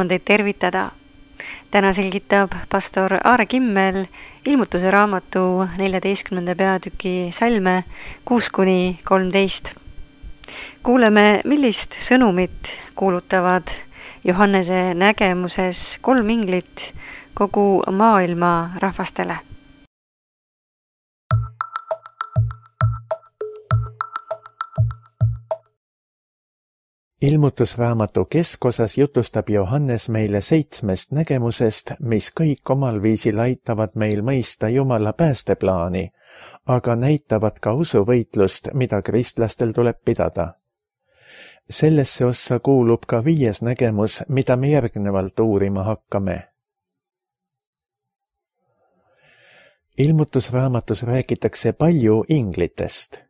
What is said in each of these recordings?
on teid tervitada. Täna selgitab pastor Aare Kimmel ilmutuse raamatu 14. peatüki salme 6-13. Kuuleme, millist sõnumit kuulutavad Johannese nägemuses 3 inglit kogu maailma rahvastele. Ilmutusraamatu keskosas jutustab Johannes meile 7 nägemusest, mis kõik omal viisil aitavad meil mõista Jumala päästeplaani, aga näitavad ka usuvõitlust, mida kristlastel tuleb pidada. Sellesse ossa kuulub ka 5. nägemus, mida me järgnevalt uurima hakkame. Ilmutusraamatus räägitakse palju inglitest.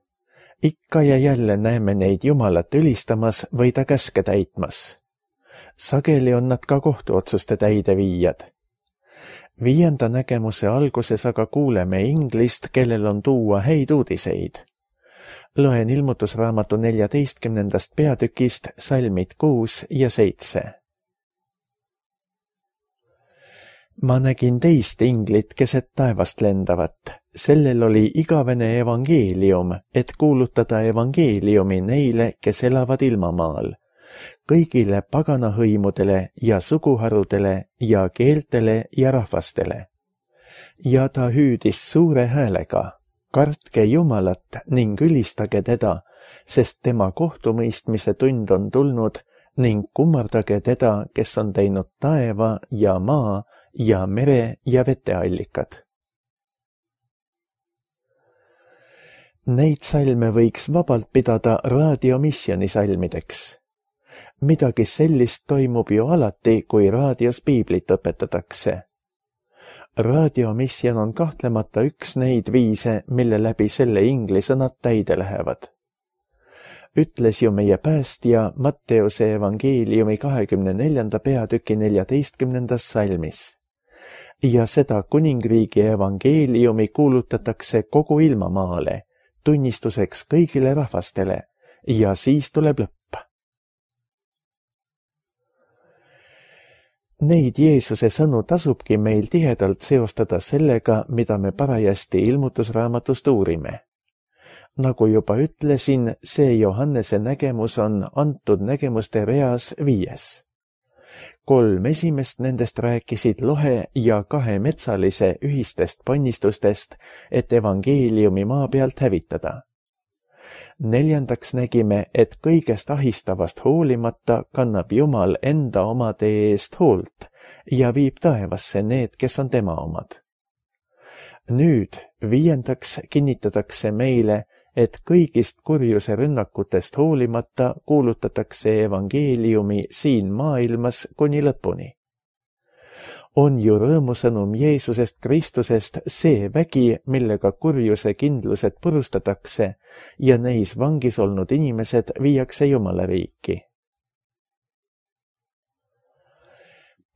Ikka ja jälle näeme neid Jumalat ülistamas või ta käske täitmas. Sageli on nad ka kohtuotsuste täideviijad. 5. nägemuse alguses aga kuuleme inglist, kellel on tuua häid uudiseid. Loen ilmutusraamatu 14. peatükist salmid 6 ja 7. Ma nägin teist inglit keset taevast lendavat. Sellel oli igavene evangeelium, et kuulutada evangeeliumi neile, kes elavad ilmamaal, kõigile paganahõimudele ja suguharudele ja keeltele ja rahvastele. Ja ta hüüdis suure häälega, kartke Jumalat ning ülistage teda, sest tema kohtumõistmise tund on tulnud ning kummardage teda, kes on teinud taeva ja maa ja mere ja veteallikad. Neid salme võiks vabalt pidada raadiomisjoni salmideks. Midagi sellist toimub ju alati, kui raadios piiblit õpetatakse. Raadiomisjon on kahtlemata üks neid viise, mille läbi selle inglisõnad täide lähevad. Ütles ju meie päästja Matteuse evangeeliumi 24. peatüki 14. salmis. Ja seda kuningriigi evangeeliumi kuulutatakse kogu ilmamaale, tunnistuseks kõigile rahvastele, ja siis tuleb lõpp. Neid Jeesuse sõnu tasubki meil tihedalt seostada sellega, mida me parajasti ilmutusraamatust uurime. Nagu juba ütlesin, see Johannese nägemus on antud nägemuste reas 5. 3 esimest nendest rääkisid lohe ja 2 metsalise ühistest ponnistustest, et evangeeliumi maa pealt hävitada. 4. nägime, et kõigest ahistavast hoolimata kannab Jumal enda omade eest hoolt ja viib taevasse need, kes on tema omad. Nüüd 5. kinnitatakse meile, et kõigist kurjuse rünnakutest hoolimata kuulutatakse evangeeliumi siin maailmas kuni lõpuni. On ju rõõmusõnum Jeesusest Kristusest see vägi, millega kurjuse kindlused purustatakse ja neis vangis olnud inimesed viiakse Jumala riiki.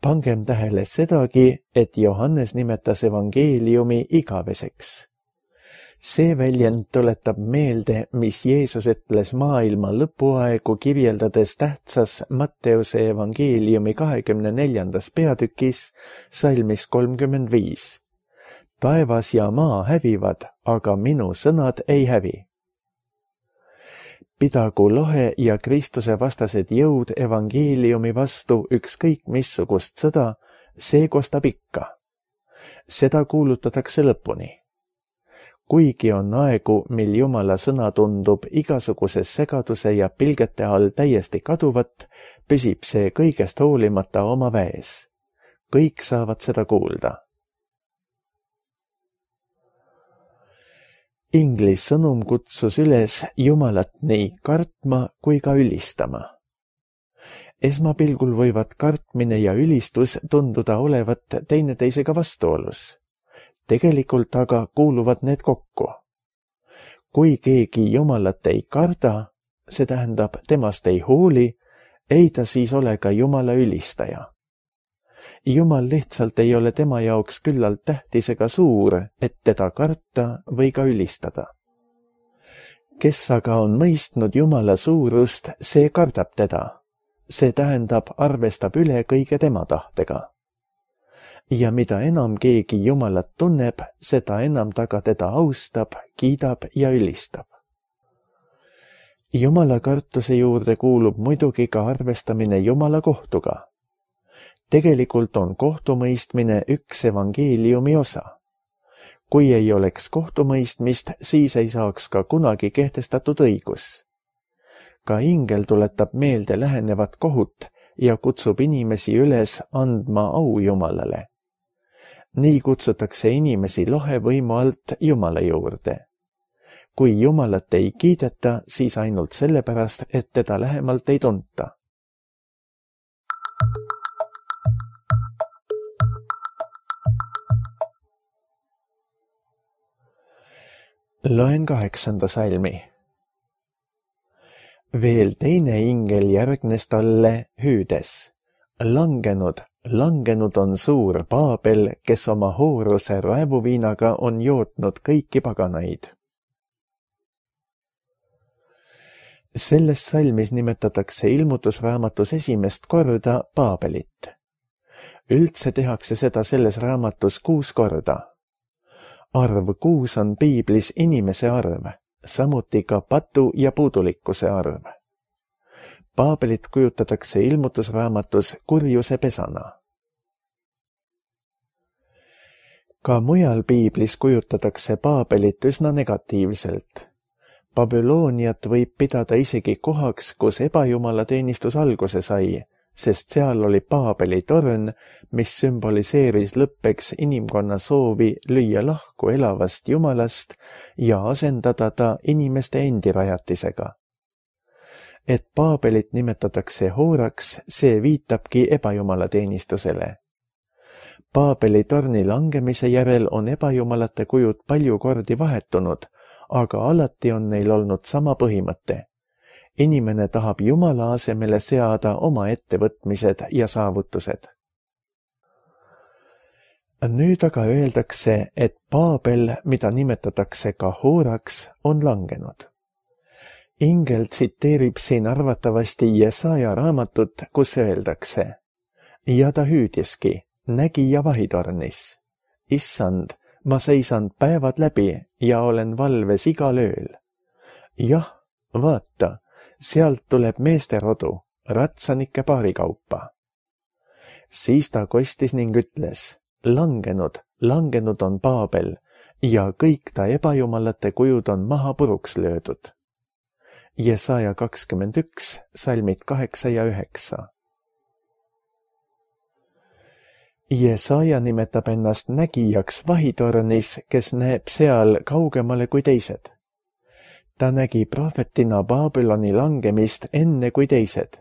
Pangem tähele sedagi, et Johannes nimetas evangeeliumi igaveseks. See väljend tuletab meelde, mis Jeesus ütles maailma lõpuaegu kirjeldades tähtsas Matteuse evangeeliumi 24. peatükis salmis 35. Taevas ja maa hävivad, aga minu sõnad ei hävi. Pidagu lohe ja Kristuse vastased jõud evangeeliumi vastu ükskõik missugust sõda, see kostab ikka. Seda kuulutatakse lõpuni. Kuigi on aegu, mil Jumala sõna tundub igasuguse segaduse ja pilgete all täiesti kaduvat, püsib see kõigest hoolimata oma väes. Kõik saavad seda kuulda. Inglis sõnum kutsus üles Jumalat nii kartma kui ka ülistama. Esmapilgul võivad kartmine ja ülistus tunduda olevat teineteisega vastuolus. Tegelikult aga kuuluvad need kokku. Kui keegi Jumalat ei karda, see tähendab temast ei hooli, ei ta siis ole ka Jumala ülistaja. Jumal lihtsalt ei ole tema jaoks küllalt tähtis ega suur, et teda karta või ka ülistada. Kes aga on mõistnud Jumala suurust, see kardab teda. see tähendab, arvestab üle kõige tema tahtega. Ja mida enam keegi Jumalat tunneb, seda enam ta ka teda austab, kiidab ja ülistab. Jumala kartuse juurde kuulub muidugi ka arvestamine Jumala kohtuga. Tegelikult on kohtumõistmine üks evangeeliumi osa. Kui ei oleks kohtumõistmist, siis ei saaks ka kunagi kehtestatud õigus. Ka ingel tuletab meelde lähenevat kohut ja kutsub inimesi üles andma au Jumalale. Nii kutsutakse inimesi lohe võimu alt Jumala juurde. Kui Jumalat ei kiideta, siis ainult sellepärast, et teda lähemalt ei tunta. Loen 8. salmi. Veel teine ingel järgnes talle hüüdes. Langenud on suur Paabel, kes oma hooruse raevuviinaga on jootnud kõiki paganaid. Selles salmis nimetatakse ilmutusraamatus esimest korda Paabelit. Üldse tehakse seda selles raamatus 6 korda. Arv 6 on piiblis inimese arv, samuti ka patu ja puudulikkuse arv. Paabelit kujutatakse ilmutusraamatus kurjuse pesana. Ka mujal piiblis kujutatakse Paabelit üsna negatiivselt. Babyloniat võib pidada isegi kohaks, kus ebajumalateenistus alguse sai, sest seal oli Paabeli torn, mis sümboliseeris lõppeks inimkonna soovi lüüa lahku elavast Jumalast ja asendada ta inimeste endi rajatisega. Et Paabelit nimetatakse hooraks, see viitabki ebajumalateenistusele. Paabeli torni langemise järel on ebajumalate kujud palju kordi vahetunud, aga alati on neil olnud sama põhimõte. Inimene tahab Jumala asemele seada oma ettevõtmised ja saavutused. Nüüd aga öeldakse, et Paabel, mida nimetatakse ka hooraks, on langenud. Ingel tsiteerib siin arvatavasti Jesaja raamatut, kus öeldakse: ja ta hüüdiski, nägija vahitornis. Issand, ma seisan päevad läbi ja olen valves igal ööl. Jah, vaata, sealt tuleb meeste rodu, ratsanike paarikaupa. Siis ta kostis ning ütles: langenud on Paabel ja kõik ta ebajumalate kujud on maha puruks löödud. Jesaja 21, salmid 8 ja 9. Jesaja nimetab ennast nägijaks vahitornis, kes näeb seal kaugemale kui teised. Ta nägi prohvetina Babyloni langemist enne kui teised.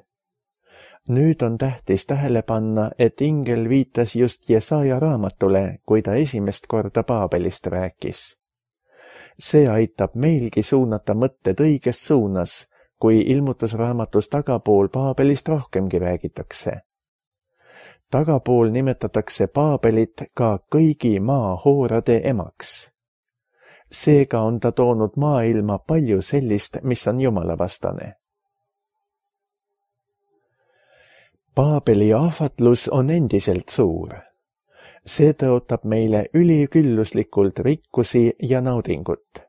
Nüüd on tähtis tähele panna, et ingel viitas just Jesaja raamatule, kui ta esimest korda Paabelist rääkis. See aitab meilgi suunata mõtted õiges suunas, kui ilmutusraamatus tagapool Paabelist rohkemgi räägitakse. Tagapool nimetatakse Paabelit ka kõigi maahoorade emaks. Seega on ta toonud maailma palju sellist, mis on jumalavastane. Paabeli ahvatlus on endiselt suur. See tõotab meile ülikülluslikult rikkusi ja naudingut.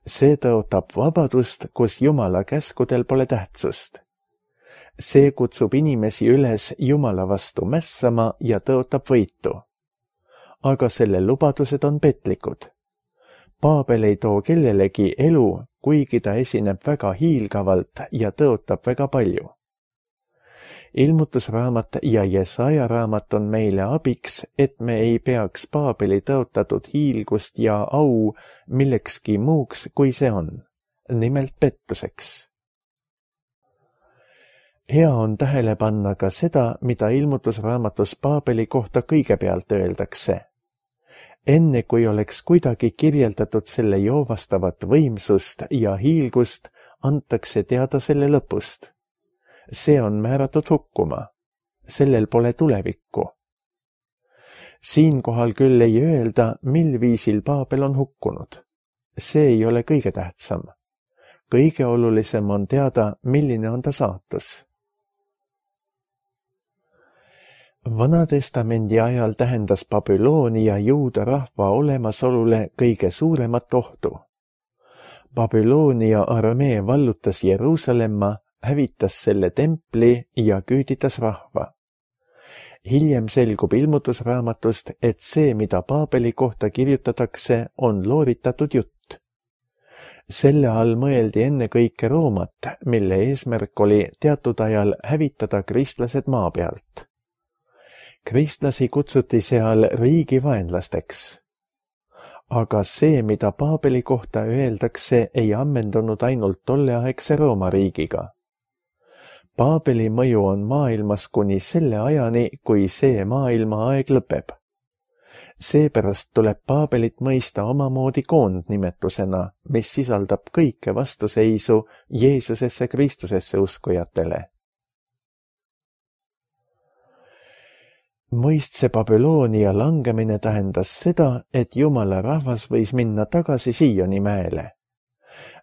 See tõotab vabadust, kus Jumala käskudel pole tähtsust. See kutsub inimesi üles Jumala vastu mässama ja tõotab võitu. Aga selle lubadused on petlikud. Paabel ei too kellelegi elu, kuigi ta esineb väga hiilgavalt ja tõotab väga palju. Ilmutusraamat ja Jesaja raamat on meile abiks, et me ei peaks Paabeli tõotatud hiilgust ja au millekski muuks, kui see on, nimelt pettuseks. Hea on tähele panna ka seda, mida ilmutusraamatus Paabeli kohta kõigepealt öeldakse. Enne kui oleks kuidagi kirjeldatud selle joovastavat võimsust ja hiilgust, antakse teada selle lõpust. See on määratud hukkuma. Sellel pole tulevikku. Siinkohal küll ei öelda, mil viisil Paabel on hukkunud. See ei ole kõige tähtsam. Kõige olulisem on teada, milline on ta saatus. Vana-testamendi ajal tähendas Babyloonia juuda rahva olemasolule kõige suuremat ohtu. Babyloonia armee vallutas Jeruusalemma, hävitas selle templi ja küüditas rahva. Hiljem selgub ilmutusraamatust, et see, mida Paabeli kohta kirjutatakse, on looritatud jutt. Selle all mõeldi ennekõike Roomat, mille eesmärk oli teatud ajal hävitada kristlased maa pealt. Kristlasi kutsuti seal riigi vaenlasteks. Aga see, mida Paabeli kohta öeldakse, ei ammendunud ainult tolleaegse Rooma riigiga. Paabeli mõju on maailmas kuni selle ajani, kui see maailma aeg lõpeb. Seepärast tuleb Paabelit mõista omamoodi koondnimetusena, mis sisaldab kõike vastuseisu Jeesusesse Kristusesse uskujatele. Mõistse Babyloonia langemine tähendas seda, et Jumala rahvas võis minna tagasi Sioni mäele.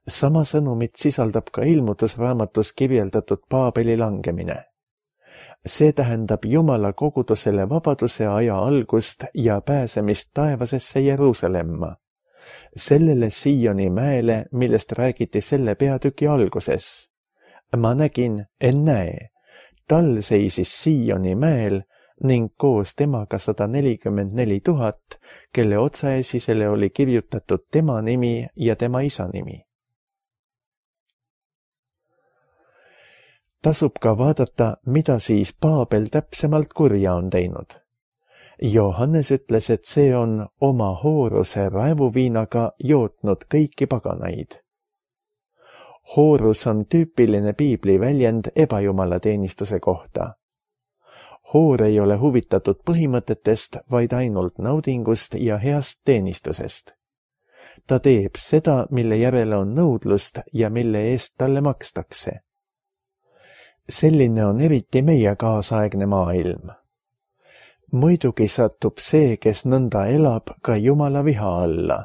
Sama sõnumit sisaldab ka ilmutusraamatus kirjeldatud Paabeli langemine. See tähendab Jumala kogudusele vabaduse aja algust ja pääsemist taevasesse Jeruusalemma, sellele Sioni mäele, millest räägiti selle peatüki alguses. Ma nägin, ennäe, tal seisis Sioni mäel ning koos temaga 144 000, kelle otsaesisele oli kirjutatud tema nimi ja tema isa nimi. Tasub ka vaadata, mida siis Paabel täpsemalt kurja on teinud. Johannes ütles, et see on oma hooruse raevuviinaga jootnud kõiki paganaid. Hoorus on tüüpiline piibli väljend ebajumalateenistuse kohta. Hoor ei ole huvitatud põhimõtetest, vaid ainult naudingust ja heast teenistusest. Ta teeb seda, mille järele on nõudlust ja mille eest talle makstakse. Selline on eriti meie kaasaegne maailm. Muidugi satub see, kes nõnda elab, ka Jumala viha alla.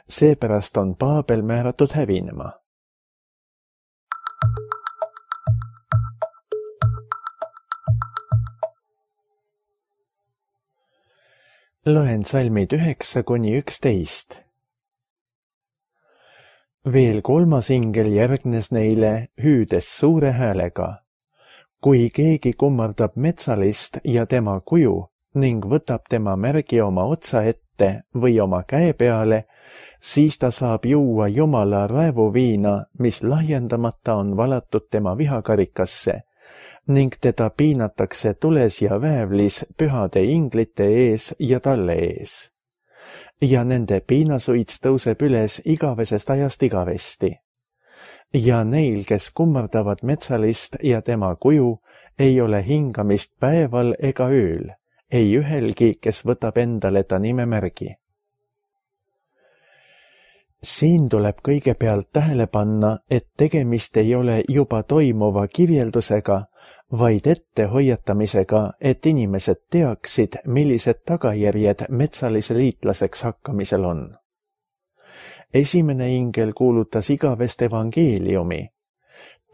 Seepärast on Paabel määratud hävinema. Loen salmid 9–11. Veel 3. ingel järgnes neile, hüüdes suure häälega. Kui keegi kummardab metsalist ja tema kuju ning võtab tema märgi oma otsa ette või oma käe peale, siis ta saab juua Jumala raevuviina, mis lahjendamata on valatud tema vihakarikasse, ning teda piinatakse tules ja väävlis pühade inglite ees ja talle ees. Ja nende piinasuits tõuseb üles igavesest ajast igavesti. Ja neil, kes kummardavad metsalist ja tema kuju, ei ole hingamist päeval ega ööl, ei ühelgi, kes võtab endale ta nimemärgi. Siin tuleb kõigepealt tähele panna, et tegemist ei ole juba toimuva kirjeldusega, vaid ettehoiatamisega, et inimesed teaksid, millised tagajärjed metsalise liitlaseks hakkamisel on. Esimene ingel kuulutas igavest evangeeliumi,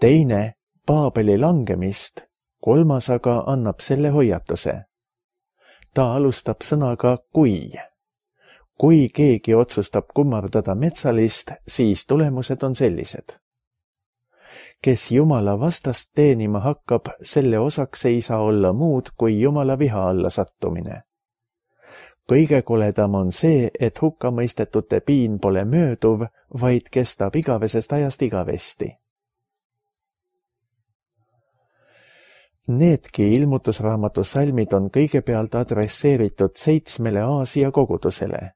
teine Paabeli langemist, 3. aga annab selle hoiatuse. Ta alustab sõnaga kui. Kui keegi otsustab kummardada metsalist, siis tulemused on sellised. Kes Jumala vastast teenima hakkab, selle osaks ei saa olla muud kui Jumala viha alla sattumine. Kõige koledam on see, et hukkamõistetute piin pole mööduv, vaid kestab igavesest ajast igavesti. Needki ilmutusraamatu salmid on kõigepealt adresseeritud 7 Aasia kogudusele.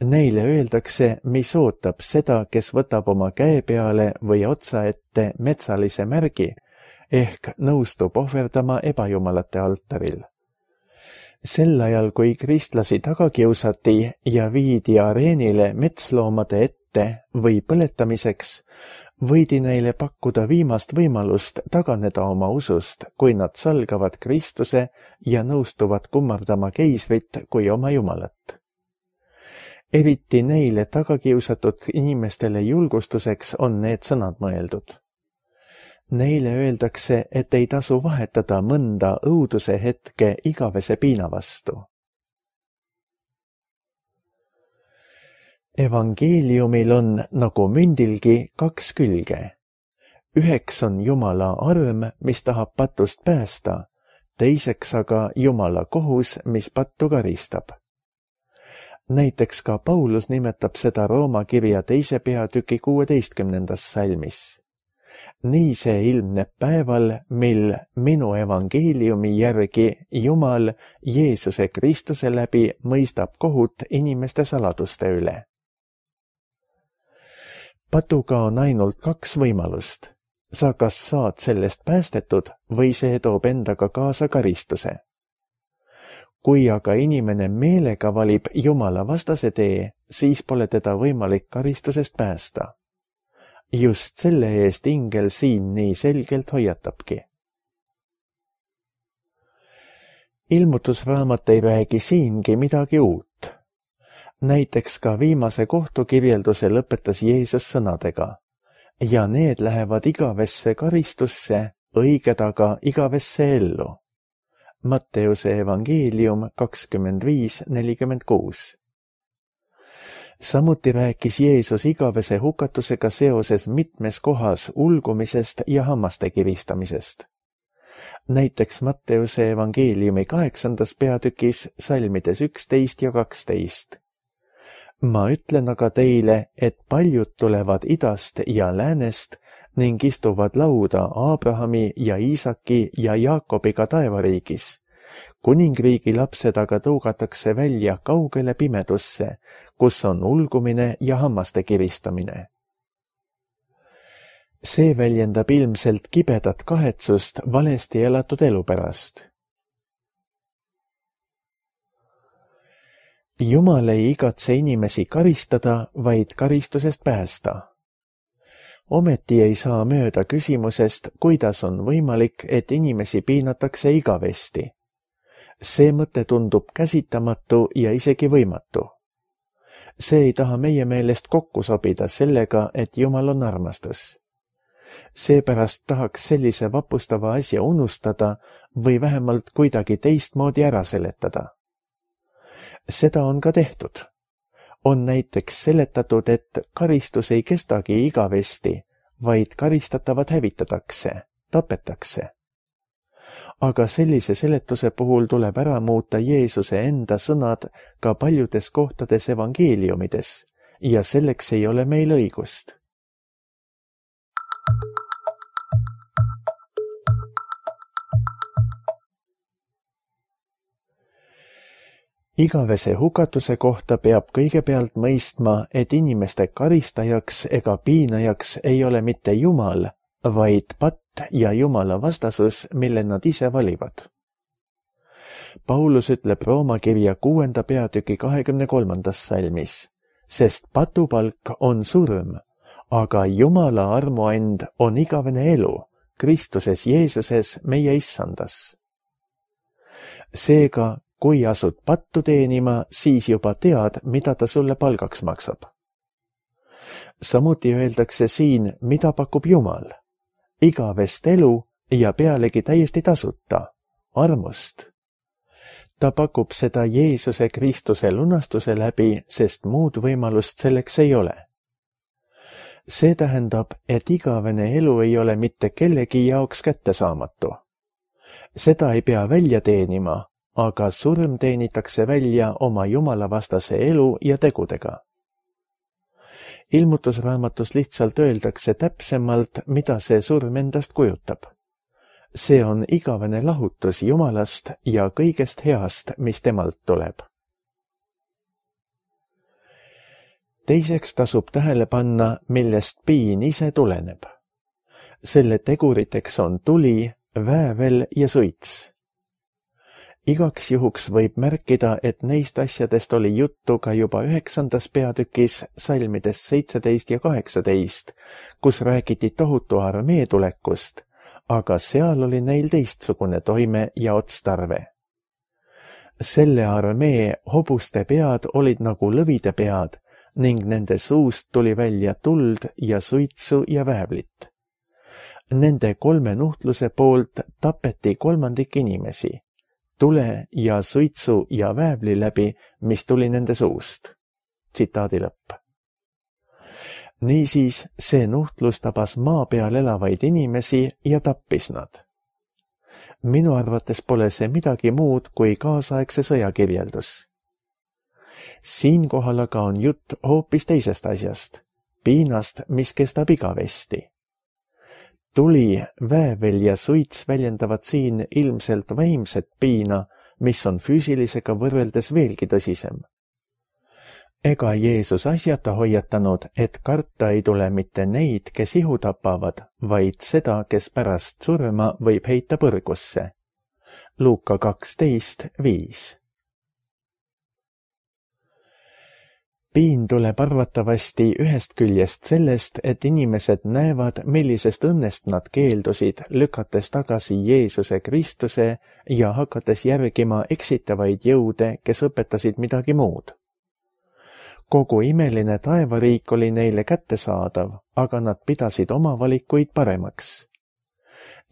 Neile öeldakse, mis ootab seda, kes võtab oma käe peale või otsa ette metsalise märgi, ehk nõustub ohverdama ebajumalate altaril. Sel ajal, kui kristlasi taga kiusati ja viidi areenile metsloomade ette või põletamiseks, võidi neile pakkuda viimast võimalust taganeda oma usust, kui nad salgavad Kristuse ja nõustuvad kummardama keisrit kui oma jumalat. Eriti neile tagakiusatud inimestele julgustuseks on need sõnad mõeldud. Neile öeldakse, et ei tasu vahetada mõnda õuduse hetke igavese piina vastu. Evangeeliumil on nagu mündilgi 2 külge. Üheks on Jumala arm, mis tahab patust päästa, teiseks aga Jumala kohus, mis pattu karistab. Näiteks ka Paulus nimetab seda Rooma kirja 2. peatüki 16. salmis. Nii see ilmneb päeval, mil minu evangeeliumi järgi Jumal Jeesuse Kristuse läbi mõistab kohut inimeste saladuste üle. Patuga on ainult 2 võimalust. Sa kas saad sellest päästetud või see toob endaga kaasa karistuse. Kui aga inimene meelega valib Jumala vastase tee, siis pole teda võimalik karistusest päästa. Just selle eest ingel siin nii selgelt hoiatabki. Ilmutusraamat ei räägi siingi midagi uut. Näiteks ka viimase kohtukirjelduse lõpetas Jeesus sõnadega: ja need lähevad igavesse karistusse, õiged aga igavesse ellu. Matteuse evangeelium 25:46. Samuti rääkis Jeesus igavese hukatusega seoses mitmes kohas ulgumisest ja hammaste kiristamisest. Näiteks Matteuse evangeeliumi 8. peatükis salmides 11 ja 12. Ma ütlen aga teile, et paljud tulevad idast ja läänest ning istuvad lauda Abrahami ja Iisaki ja Jaakobiga taevariigis. Kuningriigi lapsed aga tõugatakse välja kaugele pimedusse, kus on ulgumine ja hammaste kiristamine. See väljendab ilmselt kibedat kahetsust valesti elatud elu pärast. Jumal ei igatse inimesi karistada, vaid karistusest päästa. Ometi ei saa mööda küsimusest, kuidas on võimalik, et inimesi piinatakse igavesti. See mõte tundub käsitamatu ja isegi võimatu. See ei taha meie meelest kokku sobida sellega, et Jumal on armastus. Seepärast tahaks sellise vapustava asja unustada või vähemalt kuidagi teistmoodi ära seletada. Seda on ka tehtud. On näiteks seletatud, et karistus ei kestagi igavesti, vaid karistatavad hävitatakse, tapetakse. Aga sellise seletuse puhul tuleb ära muuta Jeesuse enda sõnad ka paljudes kohtades evangeeliumides ja selleks ei ole meil õigust. Igavese hukatuse kohta peab kõigepealt mõistma, et inimeste karistajaks ega piinajaks ei ole mitte Jumal, vaid patt ja Jumala vastasus, mille nad ise valivad. Paulus ütleb Rooma kirja 6. peatüki 23. salmis, sest patupalk on surm, aga Jumala armuand on igavene elu, Kristuses Jeesuses meie issandas. Seega, kui asud pattu teenima, siis juba tead, mida ta sulle palgaks maksab. Samuti öeldakse siin, mida pakub Jumal. Igavest elu ja pealegi täiesti tasuta, armust. Ta pakub seda Jeesuse Kristuse lunastuse läbi, sest muud võimalust selleks ei ole. See tähendab, et igavene elu ei ole mitte kellegi jaoks kättesaamatu. Seda ei pea välja teenima, aga surm teenitakse välja oma jumalavastase elu ja tegudega. Ilmutusraamatus lihtsalt öeldakse täpsemalt, mida see surm endast kujutab. See on igavene lahutus Jumalast ja kõigest heast, mis temalt tuleb. Teiseks tasub tähele panna, millest piin ise tuleneb. Selle teguriteks on tuli, väävel ja suits. Igaks juhuks võib märkida, et neist asjadest oli juttu ka juba 9. peatükis salmides 17 ja 18, kus räägiti tohutu armee tulekust, aga seal oli neil teistsugune toime ja otstarve. Selle armee hobuste pead olid nagu lõvide pead ning nende suust tuli välja tuld ja suitsu ja väävlit. Nende 3 nuhtluse poolt tapeti 1/3 inimesi, tule ja suitsu ja väävli läbi, mis tuli nende suust. Tsitaadi lõpp. Niisiis, see nuhtlus tabas maa peal elavaid inimesi ja tappis nad. Minu arvates pole see midagi muud kui kaasaegse sõja kirjeldus. Siinkohal aga on jutt hoopis teisest asjast, piinast, mis kestab igavesti. Tuli, väävel ja suits väljendavad siin ilmselt vaimset piina, mis on füüsilisega võrreldes veelgi tõsisem. Ega Jeesus asjata hoiatanud, et karta ei tule mitte neid, kes ihu tapavad, vaid seda, kes pärast surma võib heita põrgusse. Luuka 12:5. Piin tuleb arvatavasti ühest küljest sellest, et inimesed näevad, millisest õnnest nad keeldusid, lükates tagasi Jeesuse Kristuse ja hakates järgima eksitavaid jõude, kes õpetasid midagi muud. Kogu imeline taevariik oli neile kättesaadav, aga nad pidasid oma valikuid paremaks.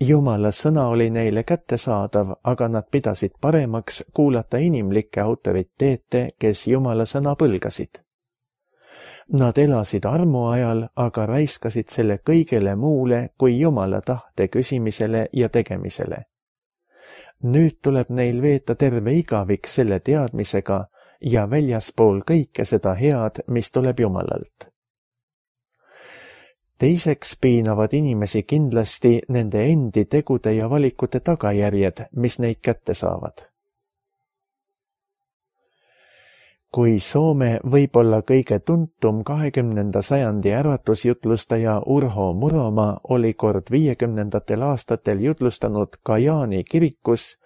Jumala sõna oli neile kättesaadav, aga nad pidasid paremaks kuulata inimlikke autoriteete, kes Jumala sõna põlgasid. Nad elasid armu ajal, aga raiskasid selle kõigele muule kui Jumala tahte küsimisele ja tegemisele. Nüüd tuleb neil veeta terve igavik selle teadmisega ja väljaspool kõike seda head, mis tuleb Jumalalt. Teiseks piinavad inimesi kindlasti nende endi tegude ja valikute tagajärjed, mis neid kätte saavad. Kui Soome võib olla kõige tuntum 20. sajandi äratusjutlustaja Urho Muromaa oli kord 50. aastatel jutlustanud Kajaani kirikus,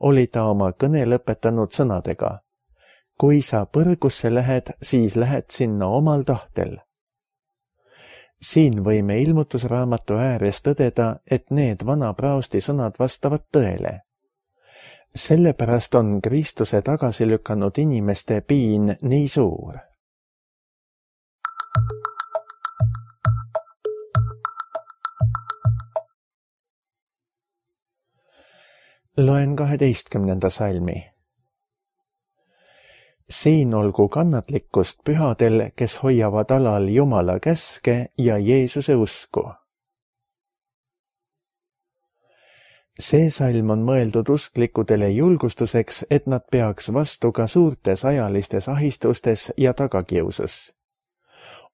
oli ta oma kõne lõpetanud sõnadega: kui sa põrgusse lähed, siis lähed sinna omal tahtel. Siin võime ilmutusraamatu ääres tõdeda, et need vana praosti sõnad vastavad tõele. Sellepärast on Kristuse tagasi lükanud inimeste piin nii suur. Loen 12. salmi. Siin olgu kannatlikkust pühadel, kes hoiavad alal Jumala käske ja Jeesuse usku. See salm on mõeldud usklikudele julgustuseks, et nad peaks vastu ka suurtes ajalistes ahistustes ja tagakiusus.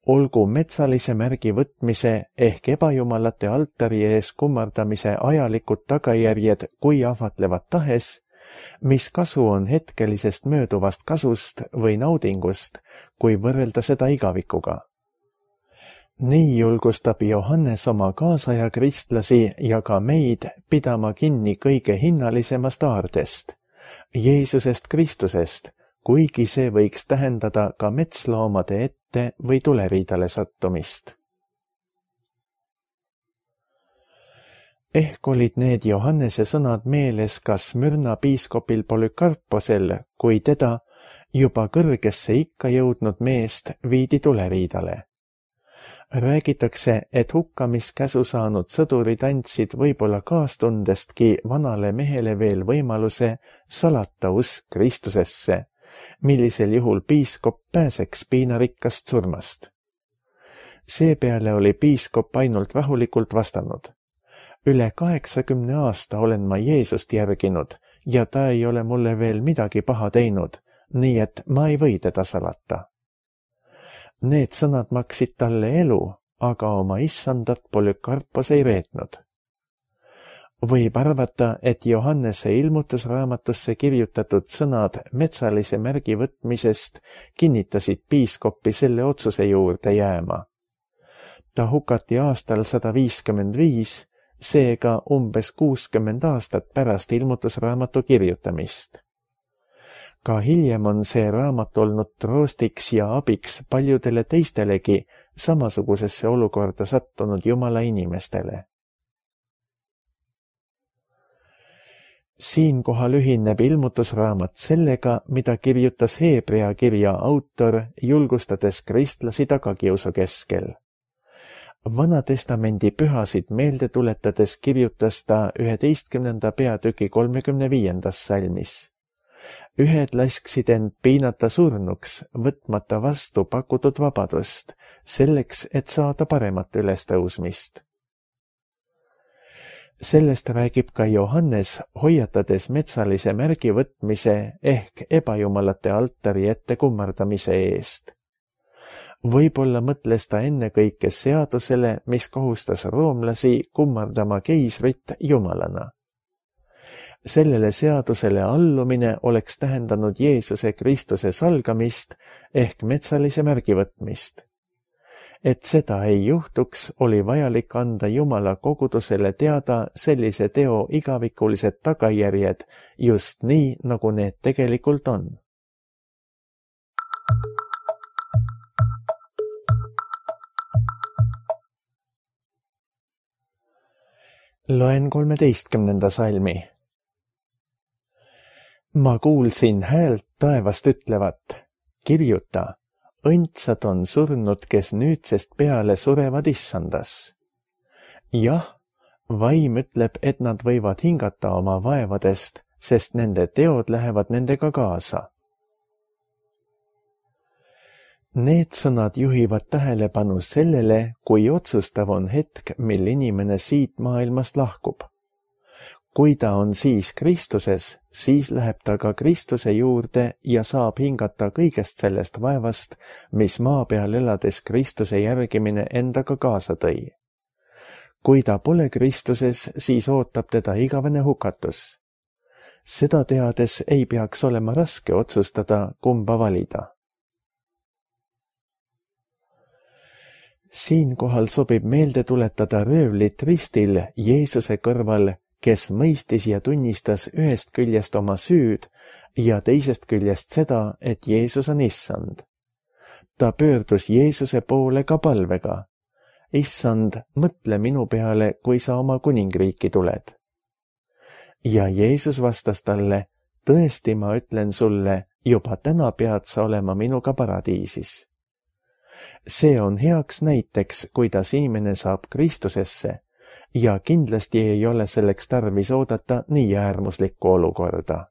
Olgu metsalise märgi võtmise ehk ebajumalate altari ees kummardamise ajalikud tagajärjed kui ahvatlevad tahes, mis kasu on hetkelisest mööduvast kasust või naudingust, kui võrrelda seda igavikuga. Nii julgustab Johannes oma kaasaja kristlasi ja ka meid pidama kinni kõige hinnalisemast aardest, Jeesusest Kristusest, kuigi see võiks tähendada ka metsloomade ette või tuleriidale sattumist. Ehk olid need Johannese sõnad meeles ka Smyrna piiskopil Polükarposel, kui teda, juba kõrgesse ikka jõudnud meest, viidi tuleriidale. Räägitakse, et hukkamiskäsu saanud sõdurid andsid võib-olla kaastundestki vanale mehele veel võimaluse salata usk Kristusesse, millisel juhul piiskop pääseks piinarikkast surmast. Seepeale oli piiskop ainult rahulikult vastanud: üle 80 aasta olen ma Jeesust järginud ja ta ei ole mulle veel midagi paha teinud, nii et ma ei või teda salata. Need sõnad maksid talle elu, aga oma issandat Polükarpos ei reetnud. Võib arvata, et Johannese ilmutusraamatusse kirjutatud sõnad metsalise märgi võtmisest kinnitasid piiskoppi selle otsuse juurde jääma. Ta hukati aastal 155, seega umbes 60 aastat pärast ilmutusraamatu kirjutamist. Ka hiljem on see raamat olnud troostiks ja abiks paljudele teistelegi samasugusesse olukorda sattunud Jumala inimestele. Siinkohal ühineb ilmutusraamat sellega, mida kirjutas Hebrea kirja autor, julgustades kristlasi tagakiusu keskel. Vanatestamendi pühasid meelde tuletades kirjutas ta 11. peatüki 35. salmis. Ühed lasksid end piinata surnuks, võtmata vastu pakutud vabadust, selleks, et saada paremat ülestõusmist. Sellest räägib ka Johannes, hoiatades metsalise märgi võtmise ehk ebajumalate altari ette kummardamise eest. Võib-olla mõtles ta ennekõike seadusele, mis kohustas roomlasi kummardama keisrit jumalana. Sellele seadusele allumine oleks tähendanud Jeesuse Kristuse salgamist ehk metsalise märgi võtmist. Et seda ei juhtuks, oli vajalik anda Jumala kogudusele teada sellise teo igavikulised tagajärjed, just nii, nagu need tegelikult on. Loen 13. salmi. Ma kuulsin häält taevast ütlevat, kirjuta, õndsad on surnud, kes nüüdsest peale surevad issandas. Jah, vaim ütleb, et nad võivad hingata oma vaevadest, sest nende teod lähevad nendega kaasa. Need sõnad juhivad tähelepanu sellele, kui otsustav on hetk, mil inimene siit maailmast lahkub. Kui ta on siis Kristuses, siis läheb ta ka Kristuse juurde ja saab hingata kõigest sellest vaevast, mis maa peal elades Kristuse järgimine endaga kaasa tõi. Kui ta pole Kristuses, siis ootab teda igavene hukatus. Seda teades ei peaks olema raske otsustada, kumba valida. Siinkohal sobib meelde tuletada röövlit ristil Jeesuse kõrval, kes mõistis ja tunnistas ühest küljest oma süüd ja teisest küljest seda, et Jeesus on issand. Ta pöördus Jeesuse poole ka palvega. Issand, mõtle minu peale, kui sa oma kuningriiki tuled. Ja Jeesus vastas talle, tõesti ma ütlen sulle, juba täna pead sa olema minuga paradiisis. See on heaks näiteks, kuidas inimene saab Kristusesse, ja kindlasti ei ole selleks tarvis oodata nii äärmuslikku olukorda.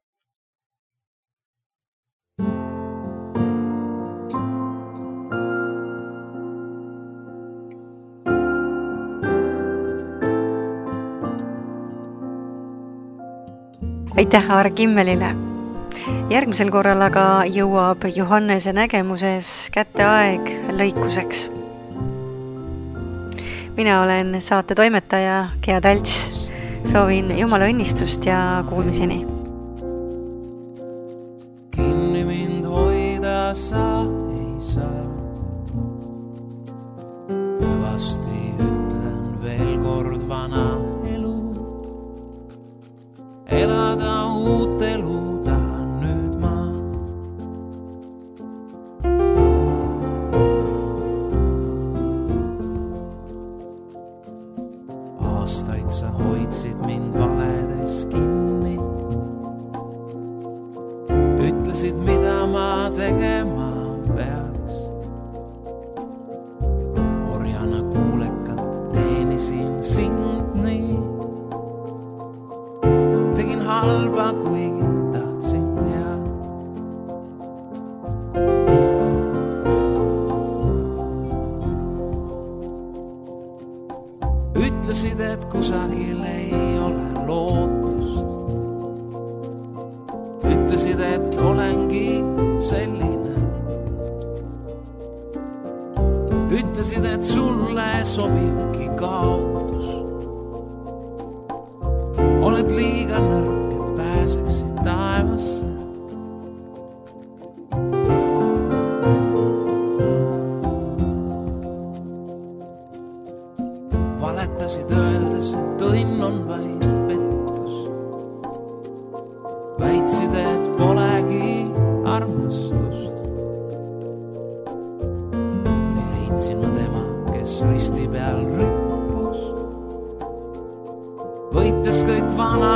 Aitäh Aare Kimmelile! Järgmisel korral aga jõuab Johannese nägemuses kätte aeg lõikuseks. Mina olen saate toimetaja Gea Talts. Soovin Jumala õnnistust ja kuulmiseni. Kinni mind hoida sa ei saa. Hüvasti ütlen veel kord vana elu. Elada uut elu tahan nüüd ma. Aastaid sa hoidsid mind valedes kinni. Ütlesid, mida ma tegema peaks. Orjana kuulekalt teenisin sind nii. Tegin halba, kuigi tahtsin head. Ütlesid, et kusagil ei ole lootust. Ütlesid, et olengi selline. Ütlesid, et sulle sobibki kaotus. Oled liiga nõrk, et pääseksid taevasse. Valetasid öeldes, et õnn on vaid pettus. Väitsid, et polegi armastust. Kuni leidsin ma tema, kes risti peal rüppus. Võites kõik vana